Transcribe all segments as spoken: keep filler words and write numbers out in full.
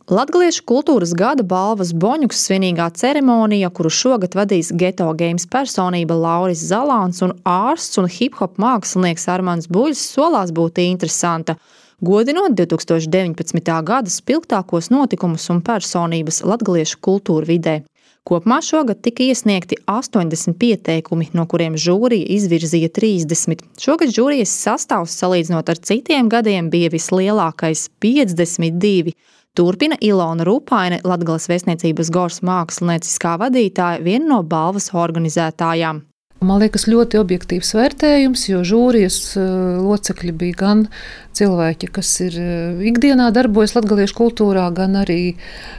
Latgaliešu kultūras gada balvas Boņuks svinīgā ceremonija, kuru šogad vadīs Geto Games personība Lauris Zalāns un ārsts un hip-hop mākslinieks Armands Buļs, solās būt interesanta, godinot divs tūkstoši deviņpadsmitā gada spilgtākos notikumus un personības latgaliešu kultūra vidē. Kopumā šogad tika iesniegti astoņdesmit pieteikumi, no kuriem žūrija izvirzīja trīsdesmit. Šogad žūrijas sastāvs salīdzinot ar citiem gadiem bija vislielākais – piecdesmit divi. Turpina Ilona Rupaine, Latgales vēstniecības Gors mākslinieciskā vadītāja, viena no balvas organizētājām. Man liekas, ļoti objektīvs vērtējums, jo žūrijas locekļi bija gan cilvēki, kas ir ikdienā darbojas latgaliešu kultūrā, gan arī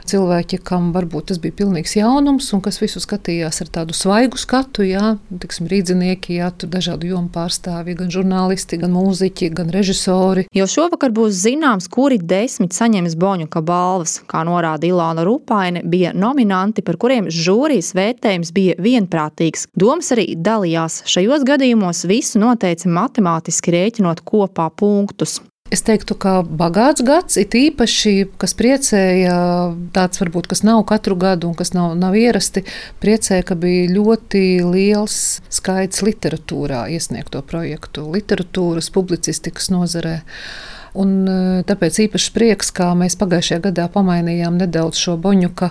cilvēki, kam varbūt tas bija pilnīgs jaunums un kas visu skatījās ar tādu svaigu skatu, jā, tiksim, rīdzinieki, jā, tu dažādu jomu pārstāvji, gan žurnālisti, gan mūziķi, gan režisori. Jo šovakar būs zināms, kuri desmit saņems Boņuka balvas. Kā norāda Ilona Rupaine, bija nominanti, par kuriem žūrijas vērtējums bija vienprātīgs. Domas arī dalījās. Šajos gadījumos visu noteica matemātiski rēķinot kopā punktus. Es teiktu, ka bagāts gads, it īpaši, kas priecēja, tāds varbūt, kas nav katru gadu un kas nav, nav ierasti, priecēja, ka bija ļoti liels skaits literatūrā iesniegto projektu, literatūras, publicistikas nozarē. Un tāpēc īpaši prieks, kā mēs pagājušajā gadā pamainījām nedaudz šo Boņuka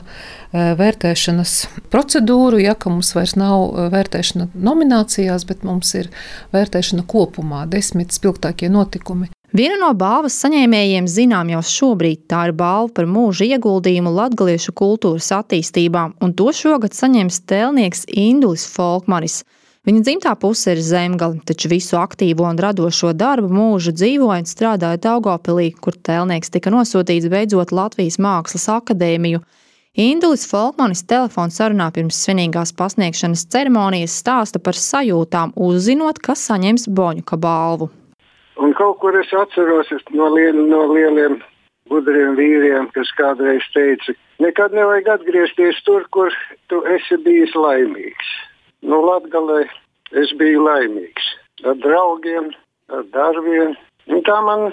vērtēšanas procedūru, ja, ka mums vairs nav vērtēšana nominācijās, bet mums ir vērtēšana kopumā, desmit spilgtākie notikumi. Viena no balvas saņēmējiem zinām jau šobrīd, tā ir balva par mūža ieguldījumu latgaliešu kultūras attīstībā, un to šogad saņems tēlnieks Indulis Folkmanis. Viņa dzimtā puse ir Zemgale, taču visu aktīvo un radošo darbu mūžu dzīvoja un strādāja Daugavpilī, kur tēlnieks tika nosūtīts beidzot Latvijas Mākslas akadēmiju. Indulis Folkmanis telefonu sarunā pirms svinīgās pasniegšanas ceremonijas stāsta par sajūtām, uzzinot, ka saņems Boņuka balvu. Un kaut kur es atceros no, liel, no lieliem gudriem vīriem, kas kādreiz teica, nekad nevajag atgriezties tur, kur tu esi bijis laimīgs. Nu, Latgalē es biju laimīgs. Ar draugiem, ar darbiem. Un tā man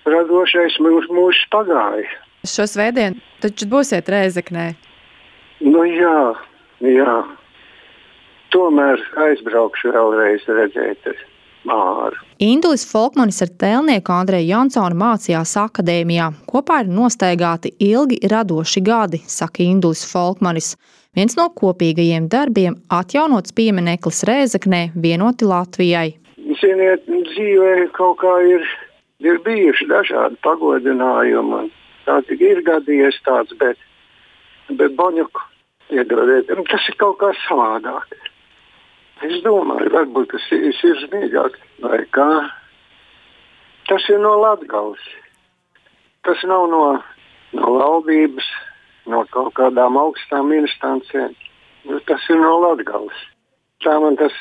radošais mūžs mūž pagāja. Šo svētdienu taču būsiet Rēzeknē. Nu jā, jā. Tomēr aizbraukšu vēlreiz redzēt Māru. Indulis Folkmanis ar tēlnieku Andreju Jansonu mācījās akadēmijā. Kopā ir nostaigāti ilgi radoši gadi, saka Indulis Folkmanis. Viens no kopīgajiem darbiem – atjaunots piemineklis Rēzeknē vienoti Latvijai. Ziniet, dzīvē kaut kā ir, ir bijuši dažādi pagodinājumi. Tāds ir gadījies tāds, bet, bet Boņuku, iedodiet, tas ir kaut kā savādāk. Es domāju, varbūt tas ir sirsnīgāk, vai kā. Tas ir no Latgales. Tas nav no, no valdības, no kaut kādām augstām instancēm. Tas ir no Latgales. Tā man tas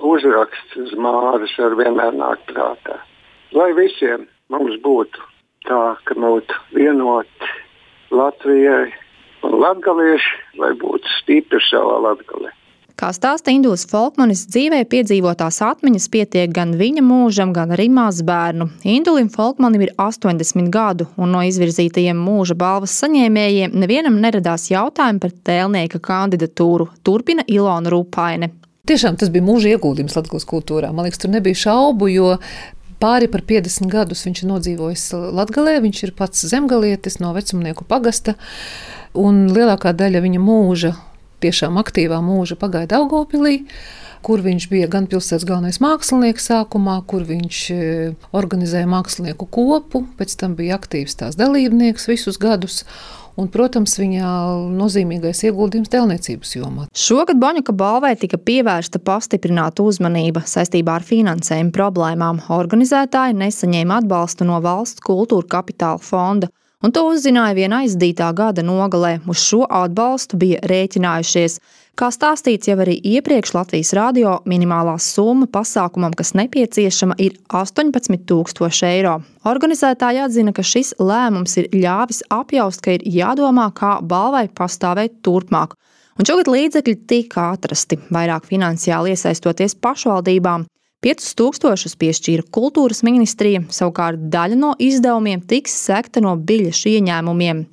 uzraksts uz Māras ar vienmēr nāk prātā. Lai visiem mums būtu tā, ka būtu vienoti Latvijai un latgalieši, lai būtu stipri savā Latgalē. Kā stāsta Indulis Folkmanis, dzīvē piedzīvotās atmiņas pietiek gan viņa mūžam, gan arī mazbērnu. Indulim Folkmanim ir astoņdesmit gadu, un no izvirzītajiem mūža balvas saņēmējiem nevienam neradās jautājumi par tēlnieka kandidatūru. Turpina Ilona Rupaine. Tiešām tas bija mūža ieguldījums Latgales kultūrā. Man liekas, tur nebija šaubu, jo pāri par piecdesmit gadus viņš ir nodzīvojis Latgalē, viņš ir pats zemgalietis no Vecumnieku pagasta, un lielākā daļa viņa mūža, tiešām aktīvā mūža pagāja Daugavpilī, kur viņš bija gan pilsētas galvenais mākslinieks sākumā, kur viņš organizēja mākslinieku kopu, pēc tam bija aktīvs tās dalībnieks visus gadus, un, protams, viņa nozīmīgais ieguldījums tēlniecības jomā. Šogad Boņuka balvai tika pievērsta pastiprināta uzmanība saistībā ar finansējuma problēmām. Organizētāji nesaņēma atbalstu no Valsts kultūra kapitāla fonda, un to uzzināja vien aizdītā gada nogalē. Uz šo atbalstu bija rēķinājušies. Kā stāstīts jau arī iepriekš Latvijas radio, minimālā summa pasākumam, kas nepieciešama, ir astoņpadsmit tūkstoši eiro. Organizētāji atzina, ka šis lēmums ir ļāvis apjaust, ka ir jādomā, kā balvai pastāvēt turpmāk. Un šogad līdzekļi tika atrasti, vairāk finansiāli iesaistoties pašvaldībām. piecus tūkstošus piešķīra kultūras ministrija, savukārt daļa no izdevumiem tiks sekta no biļešu ieņēmumiem.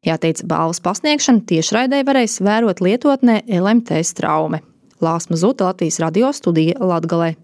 Jāteic, balvas pasniegšanu tiešraidē varēs vērot lietotnē L M T Straume. Lāsma Zuta, Latvijas radio studija Latgalē.